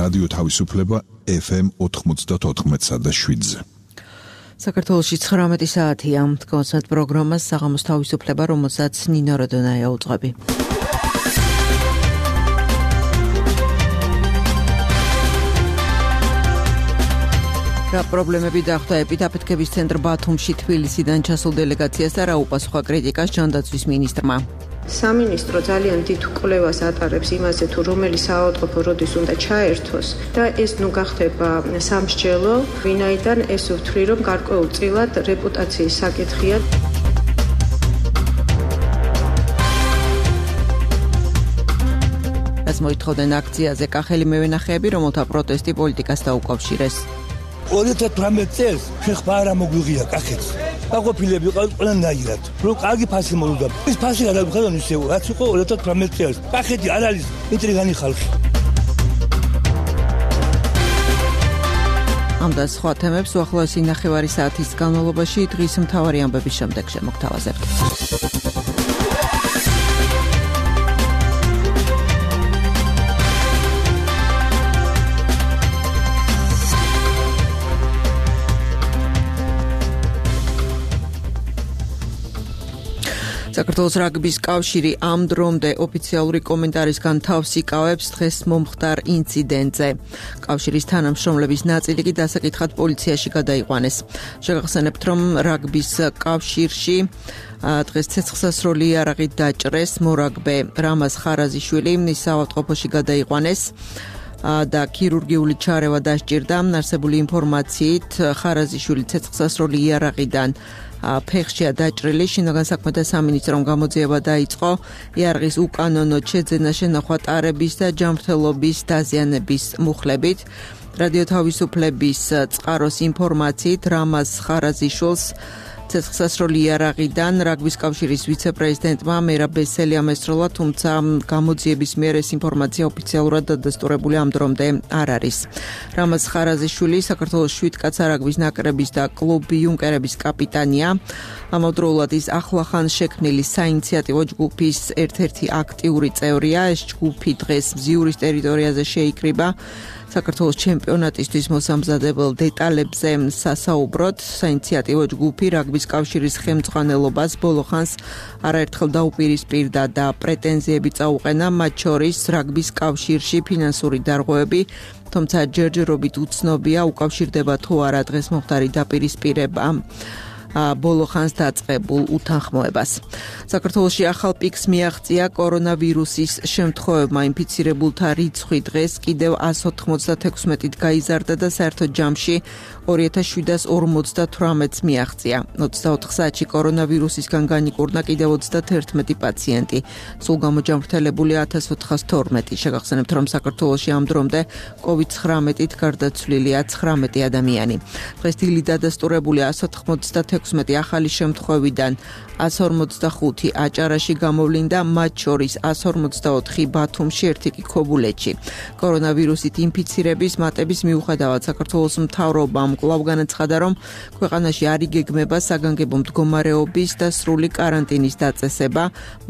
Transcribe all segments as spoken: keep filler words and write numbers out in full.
რადიო თავისუფლება ეფ ემ ოთხმოცდაოთხ და შვიდზე. საქართველოში ცხრამეტი საათია. თქვენს პროგრამას საღამოს თავისუფლება, რომელსაც ნინო როდონაია უძღვები. რა პრობლემები დახვდა ეპიდაფეთქების ცენტრ ბათუმში თბილისიდან ჩასულ დელეგაციას და რა უპასუხა კრიტიკას ჯანდაცვის მინისტრმა. სამინისტრო ძალიან დიდ კვლევას ატარებს იმაზე, თუ რომელი საავადმყოფო როდის უნდა ჩაერთოს და ეს ნუ გახდება სამსჯელო, ვინაიდან ეს ვთვლი, რომ გარკვეულწილად რეპუტაციის საკითხია. ეს მოითხოვდნენ აქციაზე კახელი მევენახეები, რომელთა პროტესტი პოლიტიკას დაუკავშირეს. ორი ათი თვრამეტი წელს შეხება არ მოგიღია კახეთს. გაყოფილები ყავთ ყველანაირად. რო კარგი ფასი მოვიდა. ეს ფასი გადავხედავ ისე, რაც იყო ორი ათი თვრამეტი წელს. კახეთი არ არის ინტრიგანი ხალხი. ამ და სხვა თემებს უახლოესი ნახევარი საათის განმავლობაში დღის მთავარი ამბების შემდეგ შემოგთავაზებთ. საქართველოს რაგბის კავშირი ამ დრომდე ოფიციალური კომენტარისგან თავს იკავებს დღეს მომხდარ ინციდენტზე. კავშირის თანამშრომლების ნაწილი კი დასაკითხად პოლიციაში გადაიყვანეს. შეგახსენებთ, რომ რაგბის კავშირში დღეს ცეცხლსასროლი იარაღით დაჭრეს მორაგბე რამაზ ხარაზიშვილი, ის საავადმყოფოში გადაიყვანეს და ქირურგიული ჩარევა დასჭირდა. არსებული ინფორმაციით ხარაზიშვილი ცეცხლსასროლი იარაღიდან ფეხშია დაჭრილი. შინაგან საქმეთა სამინისტრომ გამოძიება დაიწყო იარაღის უკანონოდ შეძენა, შენახვა ტარების და ჯანმრთელობის დაზიანების მუხლებით. რადიო თავისუფლების წყაროს ინფორმაციით რამაზ ხარაზიშვილს ცეცხლსასროლი იარაღიდან რაგბის კავშირის ვიცე-პრეზიდენტმა მერაბ ბესელიამ ესწროლა, თუმცა გამოძიების მიერ ეს ინფორმაცია ოფიციალურად დადასტურებული ამ დრომდე არ არის. რამაზ ხარაზიშვილი საქართველოს შვიდკაცა რაგბის ნაკრების და კლუბ იუნკერების კაპიტანია. ამავდროულად ის ახლახან შექმნილი საინიციატივო ჯგუფის ერთ-ერთი აქტიური წევრია. ეს ჯგუფი დღეს მზიურის ტერიტორიაზე შეიკრიბა. საქართველოს ჩემპიონატისთვის მოსამზადებელ დეტალებზე სასაუბროთ. საინიციატივო ჯგუფი რაგბის კავშირის ხელმძღვანელობას ბოლო ხანს არაერთხელ დაუპირისპირდა და პრეტენზიები წაუყენა, მათ შორის რაგბის კავშირში ფინანსური დარღვევები, თუმცა ჯერჯერობით უცნობია უკავშირდება თუ არა დღეს მომხდარი დაპირისპირება ბოლო ხანს დაწყებულ უთანხმოებას. საქართველოში ახალ პიკს მიაღწია კორონავირუსის შემთხვევებმა. ინფიცირებულთა რიცხვი დღეს კიდევ ასი ოცდათექვსმეტით გაიზარდა და საერთოდ ჯამში ორი ათას შვიდას ორმოცდათვრამეტს მიაღწია. ოცდაოთხ საათში კორონავირუსისგან განიკურნა კიდევ ოცდათერთმეტი პაციენტი. სულ გამოჯამრთელებულია ათას ოთხას თორმეტი. შეგახსენებთ, რომ საქართველოში ამ დრომდე კოვიდ ცხრამეტით გარდაცვლილია ცხრამეტი ადამიანი. დღეს დილით დადასტურებულია ასი ოცდათექვსმეტი ახალი შემთხვევიდან ასი ორმოცდახუთი აჭარაში გამოვლინდა, მათ შორის ასი ორმოცდაოთხი ბათუმში, ერთი კი ქობულეთში. კორონავირუსით ინფიცირების მატების მიუხედავად საქართველოს მთავრობამ კვლავ განაცხადა, რომ ქვეყანაში არ იგეგმება საგანგებო მდგომარეობის და სრული კარანტინის დაწესება,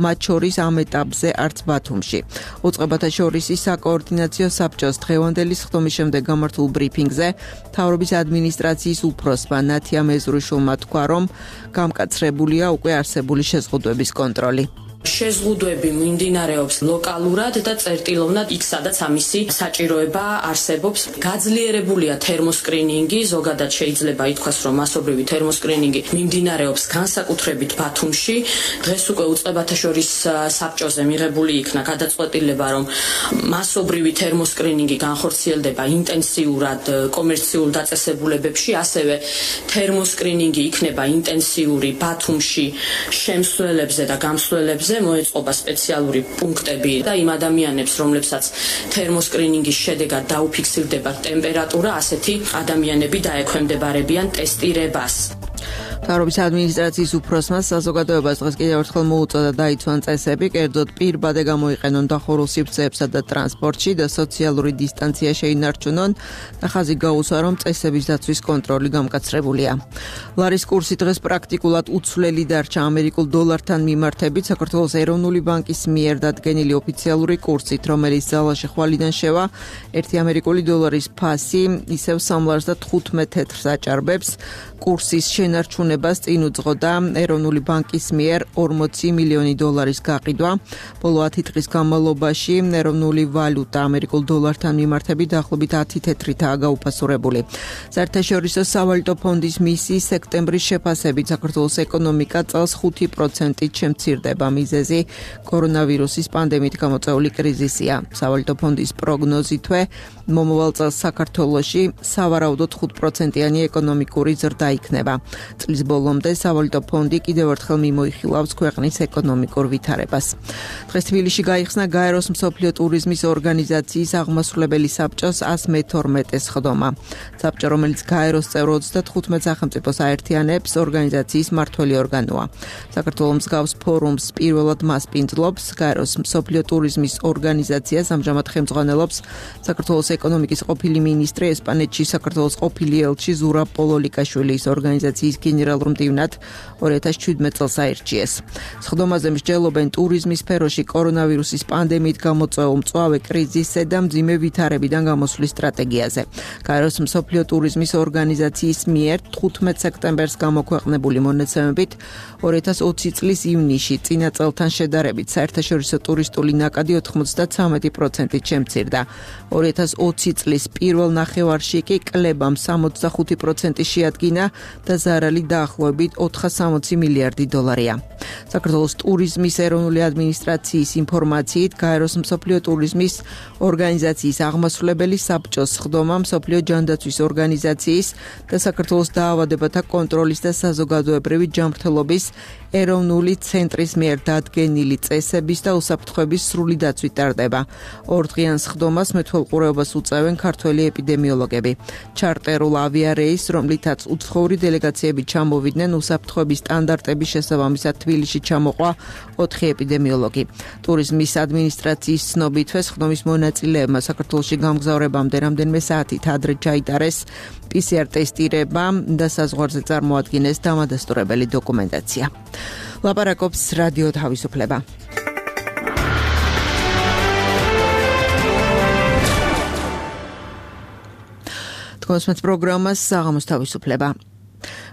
მათ შორის ამ ეტაპზე არც ბათუმში. უწყებათა შორის საკოორდინაციო საბჭოს დღევანდელი სხდომის შემდეგ გამართულ ბრიფინგზე მთავრობის ადმინისტრაციის უფროსმა ნათია მეზრუშვილმა თქვა, რომ გამკაცრებულია უკვე არსებული შეზღუდვების კონტროლი. შეზღუდვები მიმდინარეობს ლოკალურად და წერტილოვნად იქ, სადაც ამისი საჭიროება არსებობს. გაძლიერებულია თერმოსკრინინგი, ზოგადად შეიძლება ითქვას, რომ მასობრივი თერმოსკრინინგი მიმდინარეობს განსაკუთრებით ბათუმში. დღეს უკვე უწყებათა შორის საბჭოზე მიღებული იქნა გადაწყვეტილება, რომ მასობრივი თერმოსკრინინგი განხორციელდება ინტენსიურად კომერციულ დაწესებულებებში, ასევე თერმოსკრინინგი იქნება ინტენსიური ბათუმში შემსვლელებზე და გამსვლელებზე. მოეწყობა სპეციალური პუნქტები და იმ ადამიანებს, რომლებსაც თერმოსკრინინგის შედეგად დაუფიქსირდება ტემპერატურა, ასეთი ადამიანები დაექვემდებარებიან ტესტირებას. მთავრობის ადმინისტრაციის უფროსმა საზოგადოებას დღეს კიდევ ერთხელ მოუწოდა დაიცვან წესები, კერძოდ პირბადე გამოიყენონ დახურულ სივრცეებსა და ტრანსპორტში და სოციალური დისტანცია შეინარჩუნონ და ხაზი გაუსვა, რომ წესების დაცვის კონტროლი გამკაცრებულია. ლარის კურსი დღეს პრაქტიკულად უცვლელი დარჩა ამერიკულ დოლართან მიმართებით საქართველოს ეროვნული ბანკის მიერ დადგენილი ოფიციალური კურსით, რომელიც ძალაში ხვალიდან შევა ერთი ამერიკული დოლარის ფასი ისევ სამლარს და თხუთმეტ თეთრს აჭარბებს. კურსის შენარჩუნებას წინ უძღოდა ეროვნული ბანკის მიერ ორმოცი მილიონი დოლარის გაყიდვა. ბოლო ათი დღის განმავლობაში ეროვნული ვალუტა ამერიკულ დოლართან მიმართებით დაახლოებით ათი თეთრითაა გაუფასურებული. საერთაშორისო სავალუტო ფონდის მისიის სექტემბრის შეფასებით საქართველოს ეკონომიკა წელს ხუთი პროცენტით შემცირდება. მიზეზი კორონავირუსის პანდემიით გამოწვეული კრიზისია. სავალუტო ფონდის პროგნოზითვე მომავალ წელს საქართველოში სავარაუდოდ ხუთ პროცენტიანი ეკონომიკური ზრდა იქნება. წლის ბოლომდე სავალუტო ფონდი კიდევ ერთხელ მიმოიხილავს ქვეყნის ეკონომიკურ ვითარებას. დღეს თბილისში გაიხსნა გაეროს მსოფლიო ტურიზმის ორგანიზაციის აღმასრულებელი საბჭოს ას მეთორმეტე სხდომა. საბჭო, რომელიც გაეროს წევრ ოცდათხუთმეტ სახელმწიფოს აერთიანებს, ორგანიზაციის მმართველი ორგანოა. საქართველოს მსგავს ფორუმს პირველად მასპინძლობს გაეროს მსოფლიო ტურიზმის ორგანიზაციას ამჟამად ხელმძღვანელობს საქართველოს ეკონომიკის ყოფილი მინისტრი, ესპანეთში საქართველოს ყოფილი ელჩი ზურაბ პოლოლიკაშვილი. ორგანიზაციის გენერალურ მდივნად ორი ათას შვიდმეტ წელს აირჩიეს. სხდომაზე მსჯელობენ ტურიზმის სფეროში კორონავირუსის პანდემიით გამოწვეულ მწვავე კრიზისზე და მძიმე ვითარებიდან გამოსვლის სტრატეგიაზე. გაეროს მსოფლიო ტურიზმის ორგანიზაციის მიერ თხუთმეტ სექტემბერს გამოქვეყნებული მონაცემებით ორი ათას ოცი წლის ივნისში წინა წელთან შედარებით საერთაშორისო ტურისტული ნაკადი ოთხმოცდათვრამეტი პროცენტით შემცირდა. ორი ათას ოცი წლის პირველ ნახევარში კი კლებამ სამოცდახუთი პროცენტი შეადგინა და ზარალი დაახლოებით ოთხასამოცი მილიარდი დოლარია. საქართველოს ტურიზმის ეროვნული ადმინისტრაციის ინფორმაციით გაეროს მსოფლიო ტურიზმის ორგანიზაციის აღმასრულებელი საბჭოს სხდომა მსოფლიო ჯანდაცვის ორგანიზაციის და საქართველოს დაავადებათა კონტროლის და საზოგადოებრივი ჯანმრთელობის ეროვნული ცენტრის მიერ დადგენილი წესების და უსაფრთხოების სრული დაცვით ტარდება. ორდღიან სხდომას მეთვალყურეობას უწევენ ქართველი ეპიდემიოლოგები. ჩარტერულ ავიარეისს, რომლითაც უცხოური დელეგაციები ჩამოვიდნენ, უსაფრთხოების სტანდარტების შესაბამისად თბილისში ჩამოყვა ოთხი ეპიდემიოლოგი. ტურიზმის ადმინისტრაციის ცნობითვე სხდომის მონაწილეებმა საქართველოში გამგზავრებამდე რამდენიმე საათით ადრე ჩაიტარეს პი სი არ ტესტირება და საზღვარზე წარმოადგინეს დამადასტურებელი დოკუმენტაცია. ლაპარაკობს რადიო თავისუფლება. თქოსმეთ პროგრამას საღამოს თავისუფლება.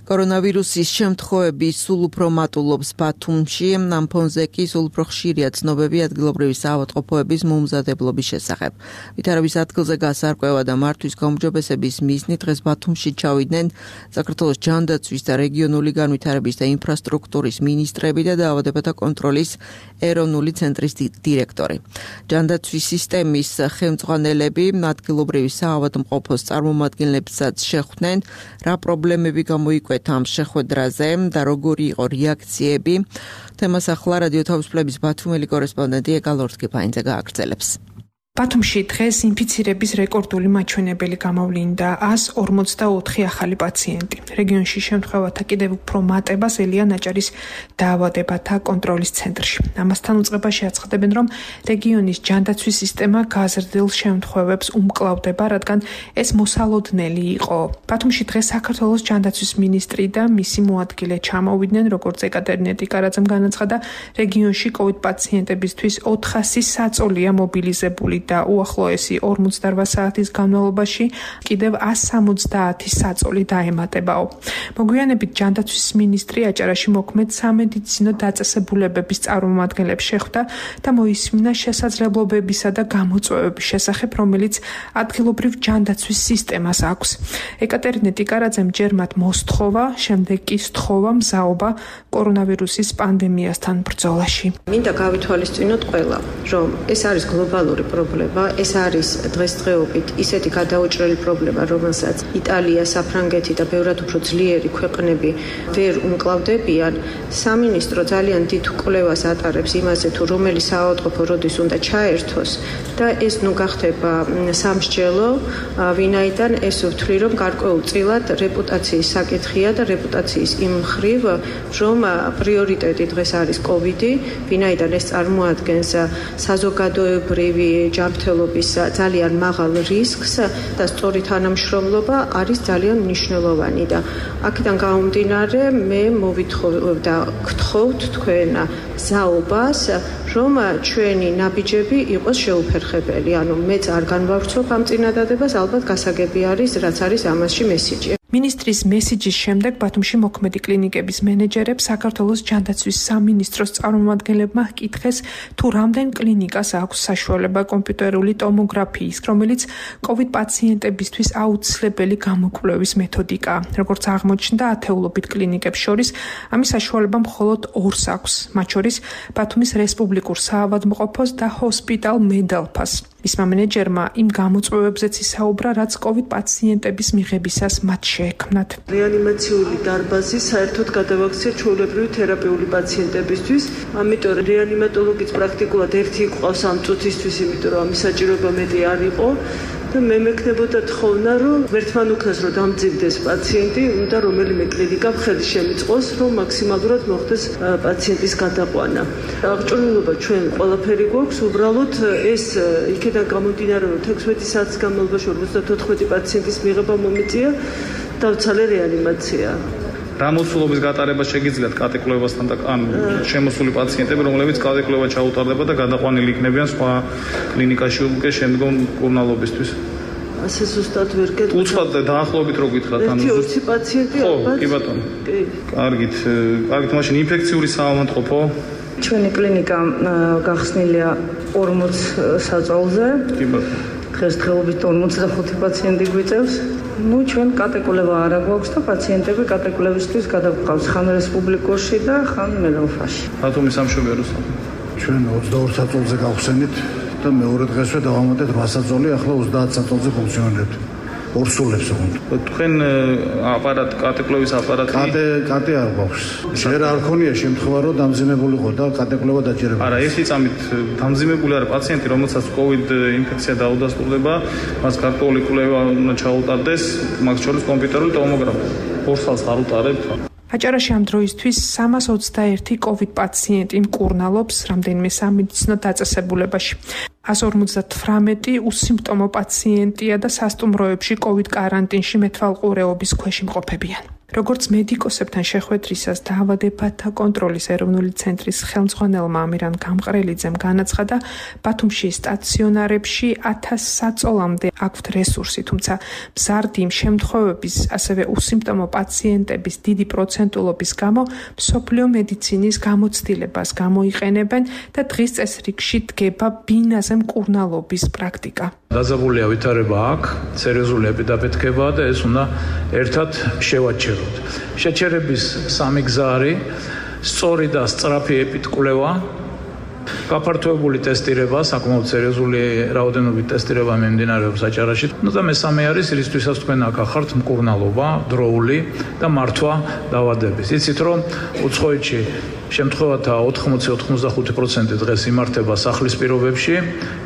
კორონავირუსის შემთხვევების სულ უფრო მატულობს ბათუმში, ამ ფონზე კი სულ უფრო ხშირია ცნობები ადგილობრივი საავადმყოფოების მომზადებლობის შესახებ. ვითარების ადგილზე გასარკვევა და მართვის გაუმჯობესების მიზნით დღეს ბათუმში ჩავიდნენ საქართველოს ჯანდაცვის და რეგიონული განვითარების და ინფრასტრუქტურის მინისტრები და დაავადებათა კონტროლის ეროვნული ცენტრის დირექტორი. ჯანდაცვის სისტემის ხელმძღვანელები ადგილობრივი საავადმყოფოს წარმომადგენლებსაც შეხვდნენ, რა პრობლემები გამოიკვეთა ამ შეხვედრაზე და როგორი იყო რეაქციები. თემას ახლა რადიო თავისუფლების ბათუმელი კორესპონდენტი ეკალორთკიფაინძე გააგრძელებს. ბათუმში დღეს ინფიცირების რეკორდული მაჩვენებელი გამოვლინდა ას ორმოცდაოთხი ახალი პაციენტი. რეგიონში შემთხვევათა კიდევ უფრო მატებას ელია ნაჭარის დაავადებათა კონტროლის ცენტრში. ამასთან უწყებაში აცხადებენ, რომ რეგიონის ჯანდაცვის სისტემა გაზრდილ შემთხვევებს უმკლავდება, რადგან ეს მოსალოდნელი იყო. ბათუმში დღეს საქართველოს ჯანდაცვის მინისტრი და მისი მოადგილე ჩამოვიდნენ, როგორც ეკატერინე ტიკარაძემ განაცხადა, რეგიონში კოვიდ პაციენტებისთვის ოთხასი საწოლია მობილიზებული და უახლოესი ორმოცდაოთხ საათის განმავლობაში კიდევ ას სამოცდაათი საწოლი დაემატებაო. მოგვიანებით ჯანდაცვის მინისტრი აჭარაში მოქმედ სამედიცინო დაწესებულებების წარმომადგენლებს შეხვდა და მოისმინა შესაძლებლობებისა და გამოწვევების შესახებ, რომელიც ადგილობრივ ჯანდაცვის სისტემას აქვს. ეკატერინე ტიკარაძემ ჯერ მათ მოსთხოვა, შემდეგ კი სთხოვა მზაობა კორონავირუსის პანდემიასთან ბრძოლაში. მინდა გავითვალისწინოთ ყველა, რომ ეს არის გლობალური პრობლემა. პრობლემა. ეს არის დღესდღეობით ისეთი გადაუჭრელი პრობლემა, რომელსაც იტალია, საფრანგეთი და ბევრად უფრო ძლიერი ქვეყნები ვერ უმკლავდებიან. სამინისტრო ძალიან დიდ კვლევას ატარებს იმაზე, თუ რომელი საავადმყოფო როდის უნდა ჩაერთოს და ეს ნუ გახდება სამსჯელო, ვინაიდან ეს ვთვლი, რომ გარკვეულწილად რეპუტაციის საკითხია და რეპუტაციის იმ მხრივ, რომ პრიორიტეტი დღეს არის კოვიდი, ვინაიდან ეს წარმოადგენს საზოგადოებრივი ჯანმრთელობის ძალიან მაღალ რისკს და სწორი თანამშრომლობა არის ძალიან მნიშვნელოვანი და აქედან გამომდინარე მე მოვითხოვ და გთხოვთ თქვენ ზაობას, რომ ჩვენი ნაბიჯები იყოს შეუფერხებელი. ანუ მეც არ განვავრცობ ამ წინადადებას, ალბათ გასაგები არის, რაც არის ამასში მესიჯი. მინისტრის მესიჯის შემდეგ ბათუმში მოქმედი კლინიკების მენეჯერებს საქართველოს ჯანდაცვის სამინისტროს წარმომადგენლებმა ჰკითხეს, თუ რამდენ კლინიკას აქვს საშუალება კომპიუტერული ტომოგრაფიის, რომელიც კოვიდ პაციენტებისთვის აუცილებელი გამოკვლევის მეთოდიკაა. როგორც აღმოჩნდა, ათეულობით კლინიკებს შორის ამის საშუალება მხოლოდ ორს აქვს, მათ შორის ბათუმის რესპუბლიკურ საავადმყოფოს და ჰოსპიტალ მედალფას. მისმა მენეჯერმა იმ გამოწვევებზეც ისაუბრა, რაც კოვიდ პაციენტების მიღებისას მათ შეექმნათ. რეანიმაციული დარბაზი საერთოდ გადავაქცია ჩვეულებრივი თერაპიული პაციენტებისთვის, ამიტომ რეანიმატოლოგიც პრაქტიკულად ერთი იყო ამ წუთისთვის, იმიტომ რომ ამის საჭიროება მეტი არ იყო. და მე მექნებოდა თხოვნა, რომ ერთმან უკრას რომ დამძიმდეს პაციენტი, უნდა რომელიმე კლინიკა ხელი შემიწყოს, რომ მაქსიმალურად მოხდეს პაციენტის გადაყვანა. აღჭურვილობა ჩვენ ყველაფერი გვაქვს, უბრალოდ ეს იქიდან გამომდინარე, რომ ექვსმეტი საათის განმავლობაში ორმოცდათოთხმეტი პაციენტის მიღება მომიწია, დავცალე რეანიმაცია. რა მოსულობის გატარება შეგიძლიათ კატეკვლევასთან და ან შემოსული პაციენტები, რომლებიც კატეკლევა ჩაუტარდება და გადაყვანილი იქნებიან სხვა კლინიკაში უკვე შემდგომ მკურნალობისთვის. ასე ზუსტად ვერ გეტყვით. უცბად დაახლოებით რო გითხრათ, ანუ ერთი ბაციენტი ალბათ. კი ბატონო. კი. კარგით, კარგით, მაშინ ინფექციური საავადმყოფო. ჩვენი კლინიკა გახსნილია ორმოც საწოლზე. კი ბატონო. დღესდღეობით ორმოცდახუთი პაციენტი გვიწევს. ნუ ჩვენ კატეკვლევა არ გვაქვს და პაციენტები კატეკვლევისთვის გადაგვყავს ხან რესპუბლიკურში და ხან მედალფაში. ბათუმის სამშობიაროს. ჩვენ ოცდაორ საწოლზე გავხსენით და მეორე დღესვე დავამატეთ რვა საწოლი, ახლა ოცდაათ საწოლზე ფუნქციონირებთ. ორსულებს უნდა. თქვენ აპარატ კატეკლევის აპარატი კატე კატე არ გვაქვს. ჯერ არ ქონია შემთხვევა რომ დამძიმებულიყო და კატეკლევა დაჭერებოდა. არა, ერთი წამით დამძიმებული არა პაციენტი, რომელსაც კოვიდ ინფექცია დაუდასტურდება, მას გარკვეული კვლევა უნდა ჩაუტარდეს, მათ შორის კომპიუტერული ტომოგრაფია. ორ წელს არ უტარებთ. აჭარაში ამ დროისთვის სამას ოცდაერთი კოვიდ პაციენტი მკურნალობს რამდენიმე სამედიცინო დაწესებულებაში. ას ორმოცდათვრამეტი უსიმპტომო პაციენტია და სასტუმროებში კოვიდ კარანტინში მეთვალყურეობის ქვეშ იმყოფებიან. როგორც მედიკოსებთან შეხვედრისას დაავადებათა კონტროლის ეროვნული ცენტრის ხელმძღვანელმა ამირან გამყრელიძემ განაცხადა, ბათუმში სტაციონარებში ათას საწოლამდე აქვთ რესურსი, თუმცა მზარდი იმ შემთხვევების, ასევე უსიმპტომო პაციენტების დიდი პროცენტულობის გამო მსოფლიო მედიცინის გამოცდილებას გამოიყენებენ და დღის წესრიგში დგება ბინაზე მკურნალობის პრაქტიკა. დაძაბულია ვითარება აქ, სერიოზული ეპიდაფეთქებაა და ეს უნდა ერთად შევაჩეროთ. შეჩერების სამი გზა არის: სწორი და სწრაფი ეპიდკვლევა, გაფართოებული ტესტირება, საკმაოდ სერიოზული რაოდენობით ტესტირება მიმდინარეობს აჭარაში. ნუ და მესამე არის, რისთვისაც თქვენ აქ ახართ მკურნალობა, დროული და მართვა დაავადების. იცით რომ უცხოეთში შემთხვევათა ოთხმოცი ოცდახუთი პროცენტი დღეს იმართება სახლის პირობებში,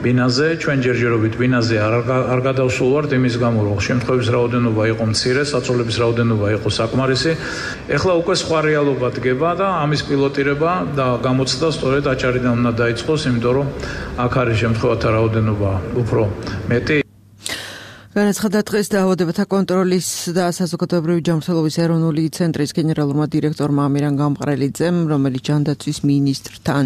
ბინაზე, ჩვენ ჯერჯერობით ბინაზე არ არ გადავსულვართ იმის გამო, რომ შემთხვევების რაოდენობა იყო მცირე, საწოლების რაოდენობა იყო საკმარისი. ეხლა უკვე სხვა რეალობა დგება და ამის პილოტირება და გამოცდა სწორედ აჭარიდან უნდა დაიწყოს, იმიტომ რომ აქ არის შემთხვევათა რაოდენობა უფრო მეტი. განაცხადა დღეს დაავადებათა კონტროლის და საზოგადოებრივი ჯანმრთელობის ეროვნული ცენტრის გენერალურმა დირექტორმა ამირან გამყრელიძემ, რომელიც ჯანდაცვის მინისტრთან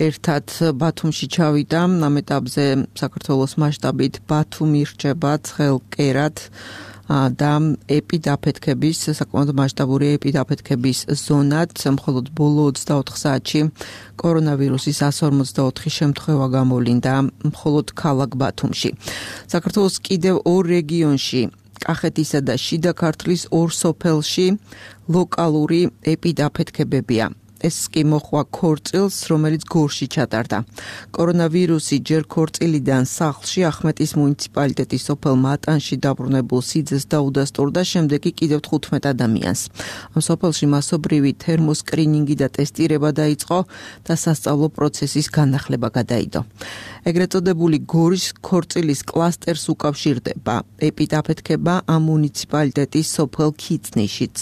ერთად ბათუმში ჩავიდა. ამ ეტაპზე საქართველოს მასშტაბით ბათუმი რჩება ცხელკერად და ეპიდაფეთქების, საკმაოდ მასშტაბური ეპიდაფეთქების ზონად. მხოლოდ ბოლო ოცდაოთხ საათში კორონავირუსის ას ორმოცდაოთხი შემთხვევა გამოვლინდა მხოლოდ ქალაქ ბათუმში. საქართველოს კიდევ ორ რეგიონში, კახეთისა და შიდა ქართლის ორ სოფელში ლოკალური ეპიდაფეთქებებია. ეს კი მოხვა ქორწილს, რომელიც გორში ჩატარდა. კორონავირუსი ჯერ ქორწილიდან სახლში ახმეტის მუნიციპალიტეტის სოფელ მატანში დაბრუნებულ სიძეს დაუდასტურდა, შემდეგ კი კიდევ თხუთმეტ ადამიანს. ამ სოფელში მასობრივი თერმოსკრინინგი და ტესტირება დაიწყო და სასწავლო პროცესის განახლება გადაიდო. ეგრეთ წოდებული გორის ქორწილის კლასტერს უკავშირდება ეპიდაფეთქება ამ მუნიციპალიტეტის სოფელ ქიწნიშიც.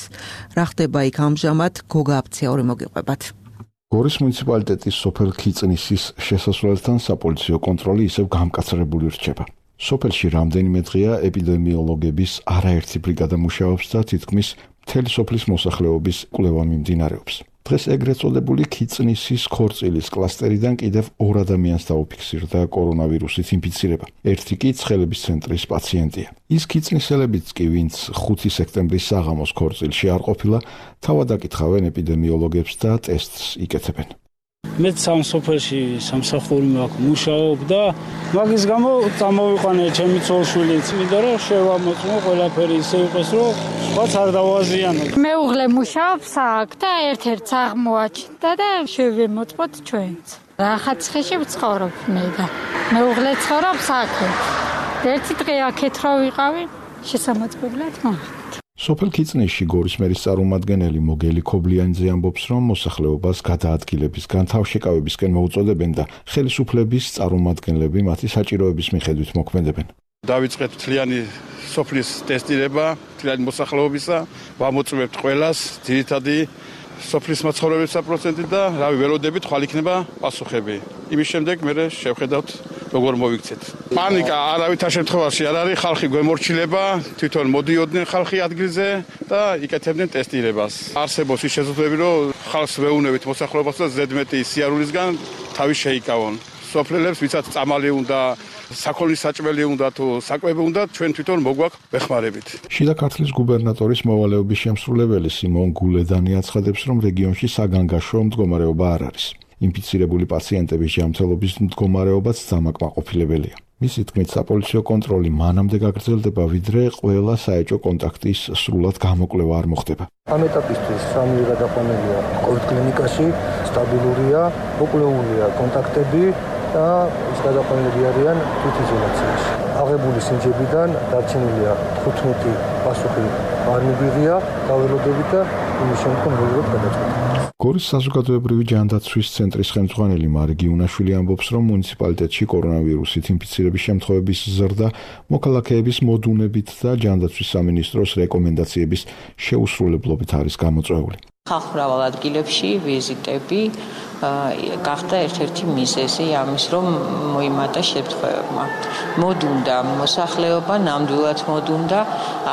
რა ხდება იქ ამჟამად, გოგა აფციური მოგიყვებათ. გორის მუნიციპალიტეტის სოფელ ქიწნისის შესასვლელთან საპოლიციო კონტროლი ისევ გამკაცრებული რჩება. სოფელში რამდენიმე დღეა ეპიდემიოლოგების არაერთი ბრიგადა მუშაობს და თითქმის მთელი სოფლის მოსახლეობის კვლევა მიმდინარეობს. დღეს ეგრეთ წოდებული ქიწნისის ქორწილის კლასტერიდან კიდევ ორ ადამიანს დაუფიქსირდა კორონავირუსით ინფიცირება. ერთი კი ცხელების ცენტრის პაციენტია. ის ქიწნისელებიც კი, ვინც ხუთი სექტემბრის საღამოს ქორწილში არ ყოფილა, თავად აკითხავენ ეპიდემიოლოგებს და ტესტს იკეთებენ. მეც სამ სოფელში სამსახური მაქვს მუშაობ და მაგის გამო წამოვიყვანე ჩემი ცოლშვილიც, იმიტომ რომ შევამოწმო ყველაფერი ისე იყოს, რომ სხვაც არ დავაზიანო. მეუღლე მუშაობს აქ და ერთ-ერთ აღმოაჩნდა და შევემოწმოთ ჩვენც. რახაც ხეში ვცხოვრობ მე და მეუღლე ცხოვრობს აქ. ერთი დღე აქეთ რო ვიყავი, შესამოწმებლად მოვიდა. სოფელ ქიწნისში გორის მერის წარმომადგენელი მოგელი ქობლიანიძე ამბობს, რომ მოსახლეობას გადაადგილებისგან თავშეკავებისკენ მოუწოდებენ და ხელისუფლების წარმომადგენლები მათი საჭიროების მიხედვით მოქმედებენ. დავიწყეთ მთლიანი სოფლის ტესტირება, მთლიანი მოსახლეობისა, ვამოწმებთ ყველას, ძირითადი სოფლის მაცხოვრებელთა პროცენტი და რავი ველოდებით ხვალ იქნება პასუხები. იმის შემდეგ მე შევხედავთ როგორ მოვიქცეთ. პანიკა არავითარ შემთხვევაში არ არის, ხალხი გვემორჩილება, თვითონ მოდიოდნენ ხალხი ადგილზე და იკეთებდნენ ტესტირებას. არსებობს ის შესაძლებლობა, რომ ხალხს ვეუნებით მოსახლეობას და ზედმეტი სიარულისგან თავი შეიკავონ. სოფლელებს ვისაც წამალი უნდა, საქონლის საჭმელი უნდა თუ საკვები უნდა, ჩვენ თვითონ მოგვაქვს ვეხმარებით. შიდა ქართლის გუბერნატორის მოვალეობის შემსრულებელი სიმონ გულედანი აცხადებს, რომ რეგიონში საგანგაშო მდგომარეობა არ არის. ინფიცირებული პაციენტების ჯანმრთელობის მდგომარეობაც დამაკმაყოფილებელია. მისი თქმით, საპოლიციო კონტროლი მანამდე გაგრძელდება, ვიდრე ყველა საეჭვო კონტაქტის სრულად გამოკვლევა არ მოხდება. ამ ეტაპისთვის სამივე გადაყვანილია კოვიდ კლინიკაში, სტაბილურია, მოკვლეულია კონტაქტები და ის გადაყვანილები არიან თვითიზოლაციაში. აღებული სინჯებიდან დარჩენილია თხუთმეტი პასუხი არ მიგვიღია, დაველოდებით და იმის შემდგომ ვიღებთ გადაწყვეტა. გორის საზოგადოებრივი ჯანდაცვის ცენტრის ხელმძღვანელი მარგი უნაშვილი ამბობს, რომ მუნიციპალიტეტში კორონავირუსით ინფიცირების შემთხვევების ზრდა მოქალაქეების მოდუნებით და ჯანდაცვის სამინისტროს რეკომენდაციების შეუსრულებლობით არის გამოწვეული. ხალხმრავალ ადგილებში ვიზიტები გახდა ერთ-ერთი მიზეზი ამის, რომ მოიმატა შემთხვევებმა. მოდუნდა მოსახლეობა, ნამდვილად მოდუნდა,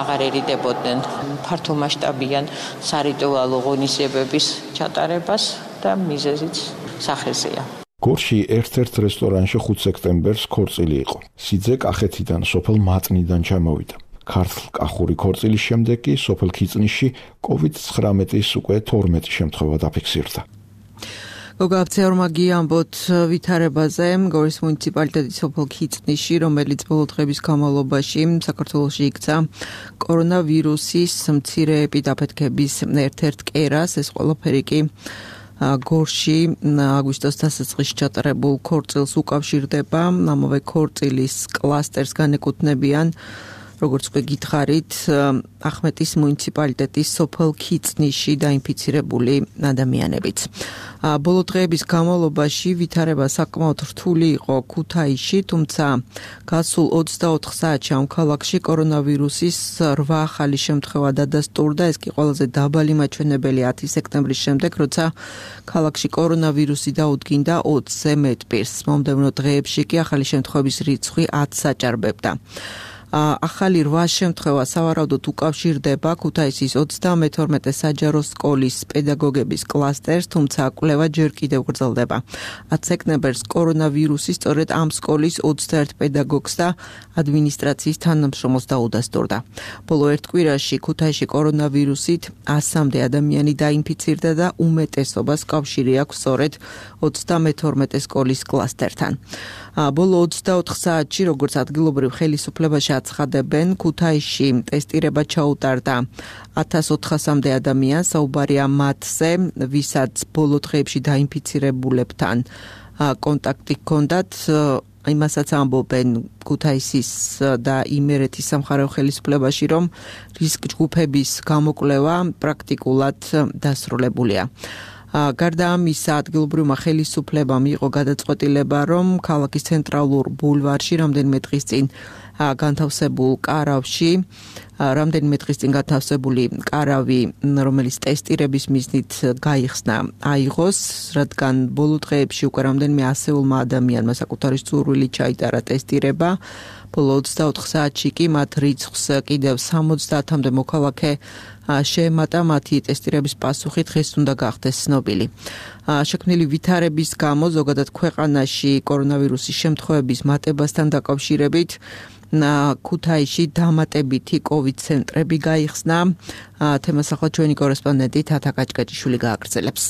აღარ ერიდებოდნენ ფართომასშტაბიან სარიტუალო ღონისძიებების ჩატარებას და მიზეზიც სახეზეა. გორში ერთ-ერთ რესტორანში ხუთი სექტემბერს ქორწილი იყო. სიძე კახეთიდან, სოფელ მატნიდან ჩამოვიდა. ქართლ-კახური ქორწილის შემდეგ კი სოფელ ქიწნისში კოვიდ ცხრამეტის უკვე თორმეტი შემთხვევა დაფიქსირდა. გოგა აფცეურმა გიამბოთ ვითარებაზე გორის მუნიციპალიტეტის სოფელ ქიწნისში, რომელიც ბოლო დღების განმავლობაში საქართველოში იქცა კორონავირუსის მცირე ეპიდაფეთქების ერთ-ერთ კერას, ეს ყველაფერი კი გორში აგვისტოს დასაწყისში ჩატარებულ ქორწილს უკავშირდება. ამავე ქორწილის კლასტერს განეკუთვნებიან, როგორც უკვე გითხარით, ახმეტის მუნიციპალიტეტის სოფელ ქიწნისში დაინფიცირებული ადამიანებიც. ბოლო დღეების განმავლობაში ვითარება საკმაოდ რთული იყო ქუთაისში, თუმცა გასულ ოცდაოთხ საათში ამ ქალაქში კორონავირუსის რვა ახალი შემთხვევა დადასტურდა. ეს კი ყველაზე დაბალი მაჩვენებელი ათი სექტემბრის შემდეგ, როცა ქალაქში კორონავირუსი დაუდგინდა ოცზე მეტ პირს. მომდევნო დღეებში კი ახალი შემთხვევების რიცხვი ათს აჭარბებდა. ახალი რვა შემთხვევა სავარაუდოდ უკავშირდება ქუთაისის ოცდამეთორმეტე საჯარო სკოლის პედაგოგების კლასტერს, თუმცა კვლევა ჯერ კიდევ გრძელდება. ათი სექტემბერს კორონავირუსი სწორედ ამ სკოლის ოცდაერთ პედაგოგს და ადმინისტრაციის თანამშრომელს დაუდასტურდა. ბოლო ერთ კვირაში ქუთაისში კორონავირუსით ასამდე ადამიანი დაინფიცირდა და უმეტესობას კავშირი აქვს სწორედ ოცდამეთორმეტე სკოლის კლასტერთან. ბოლო ოცდაოთხ საათში, როგორც ადგილობრივ ხელისუფლებაში აცხადებენ, ქუთაისში ტესტირება ჩაუტარდა ათას ოთხასამდე ადამიანს, საუბარია მათზე, ვისაც ბოლო დღეებში დაინფიცირებულებთან კონტაქტი ჰქონდათ. იმასაც ამბობენ ქუთაისის და იმერეთის სამხარეო ხელისუფლებაში, რომ რისკ ჯგუფების გამოკვლევა პრაქტიკულად დასრულებულია. გარდა ამისა, ადგილობრივმა ხელისუფლებამ იყო გადაწყვეტილება, რომ ქალაქის ცენტრალურ ბულვარში რამდენიმე დღის წინ განთავსებულ კარავში, რამდენიმე დღის წინ განთავსებული კარავი, რომელიც ტესტირების მიზნით გაიხსნა, აიღოს, რადგან ბოლო დღეებში უკვე რამდენიმე ასეულმა ადამიანმა საკუთარი სურვილით ჩაიტარა ტესტირება. ბოლო ოცდაოთხ საათში კი მათ რიცხვს კიდევ სამოცდაათამდე მოქალაქე შეემატა, მათი ტესტირების პასუხი დღეს უნდა გახდეს ცნობილი. შექმნილი ვითარების გამო ზოგადად ქვეყანაში კორონავირუსის შემთხვევების მატებასთან დაკავშირებით ქუთაისში დამატებითი კოვიდ ცენტრები გაიხსნა. თემას ახლა ჩვენი კორესპონდენტი თათა კაჭკაჭიშვილი გააგრძელებს.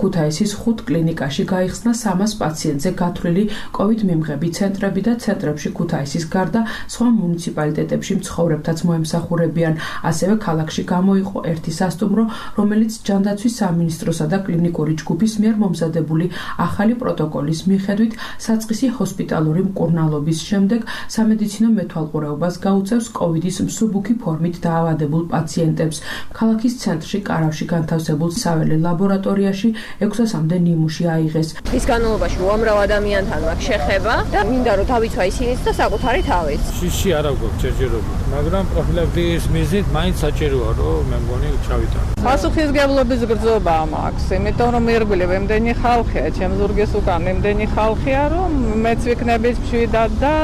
ქუთაისის ხუთ კლინიკაში გაიხსნა სამას პაციენტზე გათვლილი კოვიდ მიმღები ცენტრები და ცენტრებში ქუთაისის გარდა სხვა მუნიციპალიტეტებში მცხოვრებთაც მოემსახურებიან. ასევე ქალაქში გამოიყო ერთი სასტუმრო, რომელიც ჯანდაცვის სამინისტროსა და კლინიკური ჯგუფის მიერ მომზადებული ახალი პროტოკოლის მიხედვით საწყისი ჰოსპიტალური მკურნალობის შემდეგ სამედიცინო მეთვალყურეობას გაუწევს კოვიდის მსუბუქი ფორმით დაავადებულ პაციენტებს. ქალაქის ცენტრში კარავში განთავსებულ საველე ლაბორატორიაში ექვსასამდე ნიმუში აიღეს. ის განმავლობაში უამრავ ადამიანთან მაქვს შეხება და მინდა რომ დავიცვა ისინიც და საკუთარი თავიც. შიში არ აქვს ჯერჯერობით, მაგრამ პროფილაქტიკის მიზნით მაინც საჭიროა რომ მე მგონი ჩავიტანო. პასუხისმგებლობის გრძობა მაქვს, იმიტომ რომ ირგვლივ ემდენი ხალხია, ჩემ ზურგის უკან ემდენი ხალხია, რომ მეც ვიქნებით მშვიდად და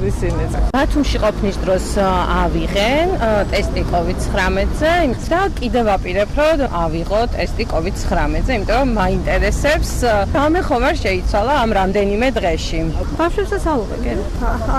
ისინიც. ბათუმში ყოფნის დროს ავიღენ ტესტი კოვიდ ცხრამეტზე და კიდევ ვაპირებ რომ ავიღო ტესტი კოვიდ ცხრამეტზე. რომ მაინტერესებს რამე ხომ არ შეიცვალა ამ რამდენიმე დღეში. ბავშვებსაც ალუღებენ.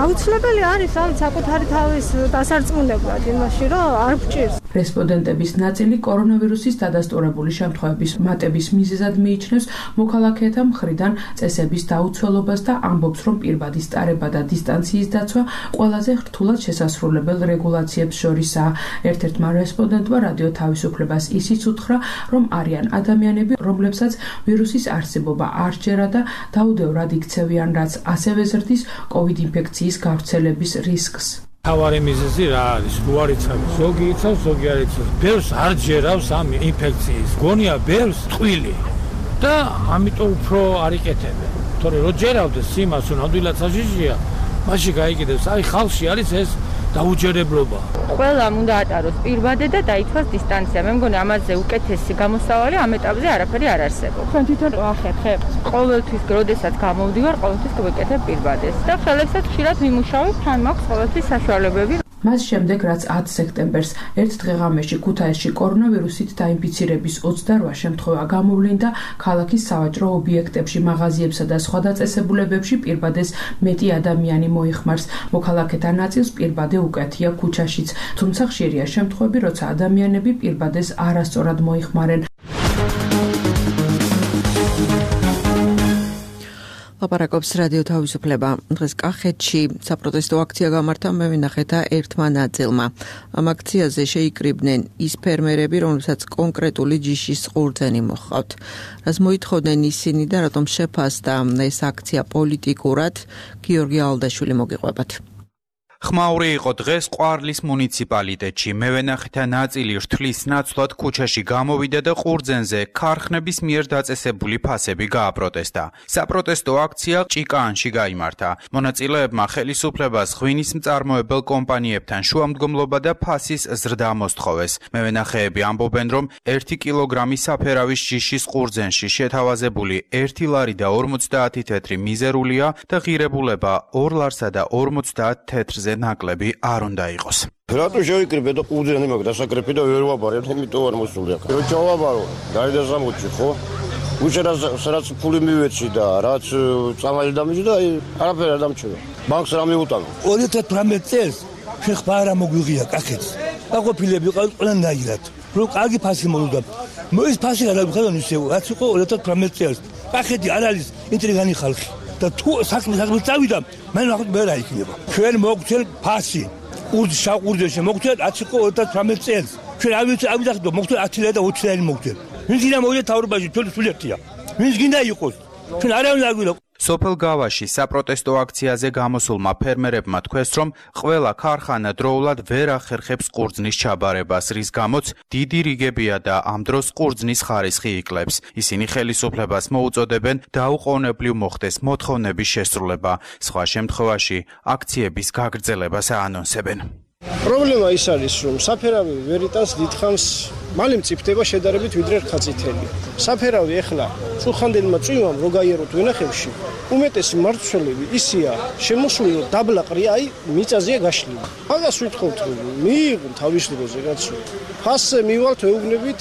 აუცილებელი არის ამ საკუთარი თავის დასარწმუნებლად იმაში, რომ არ გჭირს. რესპონდენტების ნაწილი კორონავირუსის დადასტურებული შემთხვევების მატების მიზეზად მიიჩნევს მოქალაქეთა მხრიდან წესების დაუცველობას და ამბობს, რომ პირბადის ტარება და დისტანციის დაცვა ყველაზე რთულად შესასრულებელ რეგულაციებს შორისაა. ერთ-ერთმა რესპონდენტმა რადიო თავისუფლებას ისიც უთხრა, რომ არიან ადამიანები, რომლებსაც ვირუსის არსებობა არ სჯერა და დაუდევრად იქცევიან, რაც ასევე ზრდის კოვიდ ინფექციის გავრცელების რისკს. თავარი მიზეზი რა არის? რო არ იცავ, ზოგი იცავს, ზოგი არ იცავს. ბევრს არ ჯერავს ამ ინფექციის. გონია ბევრს ტყვილი და ამიტომ უფრო არ იკეთებენ. თორე რო ჯერავდეს იმას, რომ ნამდვილად საშიშია, მაშინ გაიგებს, აი ხალხში არის ეს დაუჯერებლობა. ყველამ უნდა ატაროს პირბადე და დაიცვას დისტანცია. მე მგონი ამაზე უკეთესი გამოსავალი ამ ეტაპზე არაფერი არ არსებობს. ჩვენ თვითონ ახერხებ. ყოველთვის, როდესაც გამოვდივარ, ყოველთვის გვეკეთებ პირბადეს და ხელებსაც ხშირად ვიმუშავებ, თან მაქვს ყოველთვის საშუალებები. მას შემდეგ, რაც ათ სექტემბერს ერთ დღეღამეში ქუთაისში კორონავირუსით დაინფიცირების ოცდარვა შემთხვევა გამოვლინდა, ქალაქის სავაჭრო ობიექტებში, მაღაზიებსა და სხვა დაწესებულებებში პირბადეს მეტი ადამიანი მოიხმარს. მოქალაქეთა ნაწილს პირბადე უკეთია ქუჩაშიც, თუმცა ხშირია შემთხვევები, როცა ადამიანები პირბადეს არასწორად მოიხმარენ. ლაპარაკობს რადიო თავისუფლება. დღეს კახეთში საპროტესტო აქცია გამართა მევენახეთა ერთმა ნაწილმა. ამ აქციაზე შეიკრიბნენ ის ფერმერები, რომლებსაც კონკრეტული ჯიშის ყურძენი მოჰყავთ. რაც მოითხოვდნენ ისინი და რატომ შეფასდა ეს აქცია პოლიტიკურად, გიორგი ალდაშვილი მოგიყვებათ. ხმაური იყო დღეს ყვარლის მუნიციპალიტეტში. მევენახეთა ნაწილი რთლის ნაცვლად ქუჩაში გამოვიდა და ყურძენზე ქარხნების მიერ დაწესებული ფასები გააპროტესტა. საპროტესტო აქცია ჭიკაანში გაიმართა. მონაწილეებმა ხელისუფლებას ღვინის მწარმოებელ კომპანიებთან შუამდგომლობა და ფასის ზრდა მოსთხოვეს. მევენახეები ამბობენ, რომ ერთი კილოგრამი საფერავის ჯიშის ყურძენში შეთავაზებული ერთი ლარი და ორმოცდაათი თეთრი მიზერულია და ღირებულება ორ ლარსა და ორმოცდაათ თეთრზე ნაკლები არ უნდა იყოს. რატო შევიკრიბე და ყურძენი მაქვს დასაკრეფი და ვერ ვაბარებ, იმიტომ არ მოსული აქ. რო ჩავაბარო, დაიდასამოჩი ხო? უშერას რაც ფული მივეცი და რაც წამალი დამიჯდა და არაფერი არ დამჩება. ბანკს რა მიუტანო? ორი ათი თვრამეტი წელს შეხბა არა მოგვიღია კახეთს. დაყოფილები ყავთ ყველანაირად. რო კარგი ფასი მოვიდა. მოის ფასი არ გავხადონ ისე, რაც იყო ორი ათი თვრამეტი წელს. კახეთი არ არის ინტრიგანი ხალხი. და თუ საქმე საქმე წავიდა, მე ნახოთ მე რა იქნება. ჩვენ მოგცეთ ფასი. ურდ შაყურდეში მოგცეთ ათი ოცდაოთხ წელს. ჩვენ ავიც ავიდახდო მოგცეთ ათი ლარი და ოცი ლარი მოგცეთ. ვინც გინდა მოვიდა თავრობაში, ჩვენ სულ ერთია. ვინც გინდა იყოს. ჩვენ არავინ არ გვინდა. სოფელ გავაში საპროტესტო აქციაზე გამოსულმა ფერმერებმა თქვეს, რომ ყველა ქარხანა დროულად ვერ ახერხებს ყურძნის ჩაბარებას, რის გამოც დიდი რიგებია და ამ დროს ყურძნის ხარისხი იკლებს. ისინი ხელისუფლებას მოუწოდებენ დაუყოვნებლივ მოხდეს მოთხოვნების შესრულება. სხვა შემთხვევაში აქციების გაგრძელებას აანონსებენ. პრობლემა ის არის, რომ საფერავი ვერ იტანს დიდხანს, მალე მწიფდება შედარებით ვიდრე რქაწითელი. საფერავი ეხლა წუხანდელმა წვიმამ რო გაიაროთ ვენახებში, უმეტესი მარცვლები ისია შემოსული, რომ დაბლა ყრია, აი მიწაზეა გაშლილი. მაგას ვიტყობთ, რომ მიიღონ თავის დროზე კაცო. ფასზე მივალთ ეუბნებით,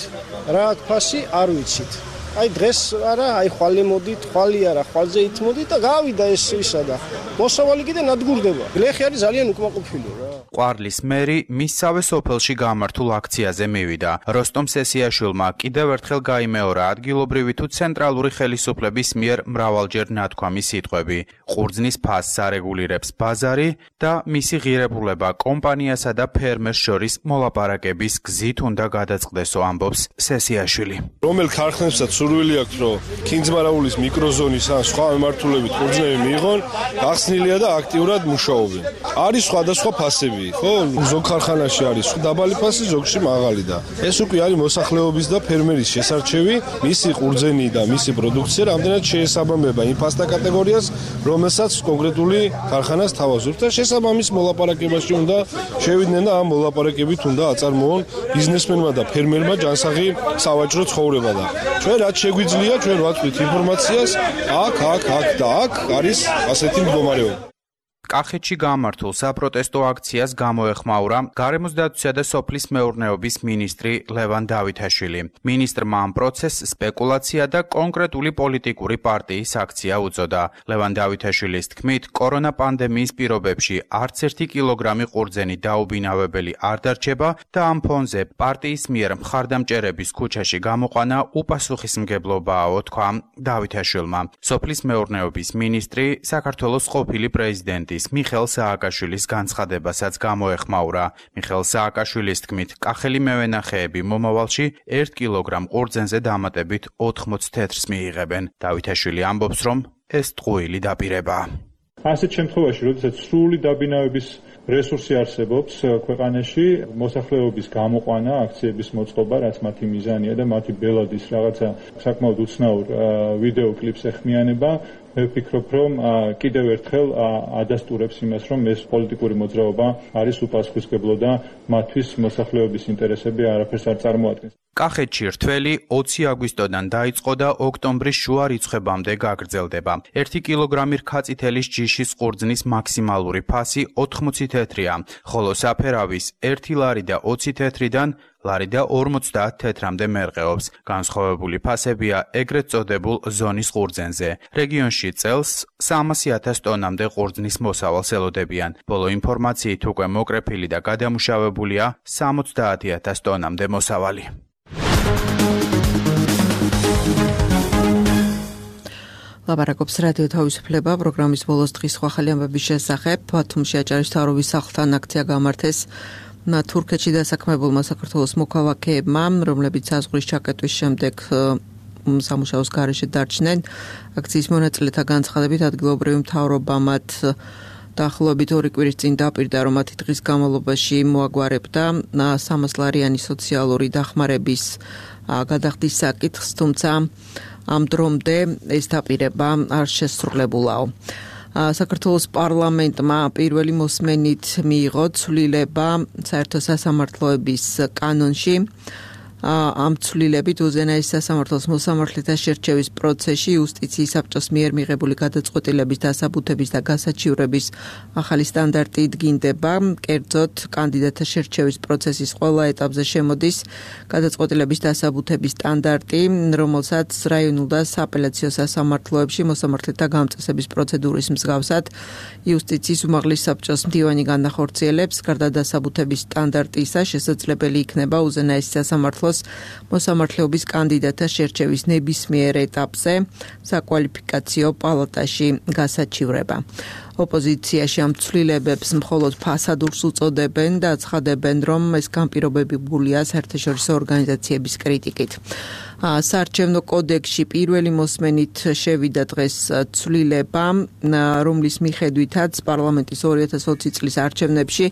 რა აქ ფასი არ ვიცით. აი დღეს არა, აი ხვალე მოდით, ხვალი არა, ხვალზე ითმოდით და გავიდა ეს ისა და მოსავალი კიდე ნადგურდება. გლეხი არის ძალიან უკმაყოფილო რა. ყვარლის მერი მისსავე სოფელში გამართულ აქციაზე მივიდა. როსტომ სესიაშვილმა კიდევ ერთხელ გაიმეორა ადგილობრივი თუ ცენტრალური ხელისუფლების მიერ მრავალჯერ ნათქვამი სიტყვები. ყურძნის ფასს არეგულირებს ბაზარი და მისი ღირებულება კომპანიასა და ფერმერს შორის მოლაპარაკების გზით უნდა გადაწყდესო, ამბობს სესიაშვილი. რომელ ქარხნებსაც სურვილი აქვს, რომ ქინძმარაულის მიკროზონის ან სხვა მიმართულებით ყურძნები მიიღონ, გახსნილია და აქტიურად მუშაობენ. არის სხვადასხვა ფასები. ხო, ზოგ ქარხანაში არის დაბალი ფასი, ზოგში მაღალი და ეს უკვე არის მოსახლეობის და ფერმერის შესარჩევი, მისი ყურძენი და მისი პროდუქცია რამდენად შეესაბამება იმ ფასთა კატეგორიას, რომელსაც კონკრეტული ქარხანა სთავაზობს და შესაბამის მოლაპარაკებაში უნდა შევიდნენ და ამ მოლაპარაკებით უნდა აწარმოონ ბიზნესმენმა და ფერმერმა ჯანსაღი სავაჭრო ცხოვრება და ჩვენ რაც შეგვიძლია, ჩვენ ვაწვით ინფორმაციას, აქ, აქ, აქ და აქ არის ასეთი მდგომარეობა. კახეთში გამართულ საპროტესტო აქციას გამოეხმაურა გარემოს დაცვისა და სოფლის მეურნეობის მინისტრი ლევან დავითაშვილი. მინისტრმა ამ პროცესს სპეკულაცია და კონკრეტული პოლიტიკური პარტიის აქცია უწოდა. ლევან დავითაშვილის თქმით, კორონა პანდემიის პირობებში არც ერთი კილოგრამი ყურძენი დაუბინავებელი არ დარჩება და ამ ფონზე პარტიის მიერ მხარდამჭერების ქუჩაში გამოყვანა უპასუხისმგებლობაა, თქვა დავითაშვილმა. სოფლის მეურნეობის მინისტრი საქართველოს ყოფილი პრეზიდენტი მიხეილ სააკაშვილის განცხადებასაც გამოეხმაურა. მიხეილ სააკაშვილის თქმით, კახელი მევენახეები მომავალში ერთ კილოგრამ ყურძენზე დამატებით ოთხმოც თეთრს მიიღებენ. დავითაშვილი ამბობს, რომ ეს ტყუილი დაპირებაა. ასეთ შემთხვევაში, როდესაც სრული დაბინავების რესურსი არსებობს ქვეყანაში, მოსახლეობის გამოყვანა, აქციების მოწყობა, რაც მათი მიზანია და მათი ბელადის რაღაცა საკმაოდ უცნაურ ვიდეო კლიპს ეხმიანება, მე ვფიქრობ, რომ კიდევ ერთხელ ადასტურებს იმას, რომ ეს პოლიტიკური მოძრაობა არის უპასუხისმგებლო და მათთვის მოსახლეობის ინტერესები არაფერს არ წარმოადგენს. კახეთში რთველი ოცი აგვისტოდან დაიწყო და ოქტომბრის შუა რიცხვებამდე გაგრძელდება. ერთი კილოგრამი რქაწითელის ჯიშის ყურძნის მაქსიმალური ფასი ოთხმოცი თეთრია, ხოლო საფერავის ერთი ლარი და ოცი თეთრიდან ლარი და ორმოცდაათ თეთრამდე მერყეობს. განსხვავებული ფასებია ეგრეთ წოდებულ ზონის ყურძენზე. რეგიონში წელს სამასი ათას ტონამდე ყურძნის მოსავალს ელოდებიან. ბოლო ინფორმაციით უკვე მოკრეფილი და გადამუშავებულია სამოცდაათი ათას ტონამდე მოსავალი. ლაპარაკობს რადიო თავისუფლება პროგრამის ბოლოს დღის სხვა ხელი ამბების შესახებ. ბათუმში აჭარის მთავრობის სახლთან აქცია გამართეს თურქეთში დასაქმებულმა საქართველოს მოქალაქეებმა, რომლებიც საზღვრის ჩაკეტვის შემდეგ სამუშაოს გარეშე დარჩნენ. აქციის მონაწილეთა განცხადებით ადგილობრივი მთავრობა მათ დაახლოებით ორი კვირის წინ დაპირდა, რომ მათი დღის განმავლობაში მოაგვარებდა სამას ლარიანი სოციალური დახმარების გადახდის საკითხს, თუმცა ამ დრომდე ეს დაპირება არ შესრულებულაო. საქართველოს პარლამენტმა პირველი მოსმენით მიიღო ცვლილება საერთო სასამართლოების კანონში. ამ ცვლილებით უზენაეს სასამართლოს მოსამართლეთა შერჩევის პროცესში იუსტიციის საბჭოს მიერ მიღებული გადაწყვეტილების დასაბუთების და გასაჩივრების ახალი სტანდარტი იდგინდება. კერძოდ, კანდიდატთა შერჩევის პროცესის ყველა ეტაპზე შემოდის გადაწყვეტილების დასაბუთების სტანდარტი, რომელსაც რაიონულ და სააპელაციო სასამართლოებში მოსამართლეთა გამწესების პროცედურის მსგავსად იუსტიციის უმაღლეს საბჭოს მდივანი განახორციელებს. გარდა დასაბუთების სტანდარტისა, შესაძლებელი იქნება უზენაეს სასამართლო საქართველოს მოსამართლეობის კანდიდატთა შერჩევის ნებისმიერ ეტაპზე საკვალიფიკაციო პალატაში გასაჩივრება. ოპოზიციაში ამ ცვლილებებს მხოლოდ ფასადურს უწოდებენ და ცხადებენ, რომ ეს განპირობებულია საერთაშორისო ორგანიზაციების კრიტიკით. საარჩევნო კოდექსში პირველი მოსმენით შევიდა დღეს ცვლილება, რომლის მიხედვითაც პარლამენტის ორი ათას ოცი წლის არჩევნებში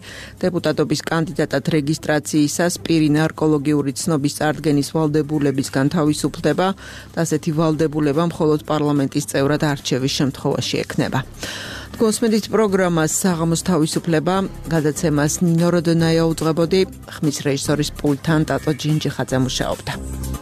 დეპუტატობის კანდიდატად რეგისტრაციისას პირი ნარკოლოგიური ცნობის წარდგენის ვალდებულებისგან თავისუფლდება და ასეთი ვალდებულება მხოლოდ პარლამენტის წევრად არჩევის შემთხვევაში ექნება. გოსმედით პროგრამას საღამოს თავისუფლება გადაცემას ნინო როდონაია უძღვებოდი, ხმის რეჟისორის პულტთან ტატო ჯინჯიხაძე მუშაობდა.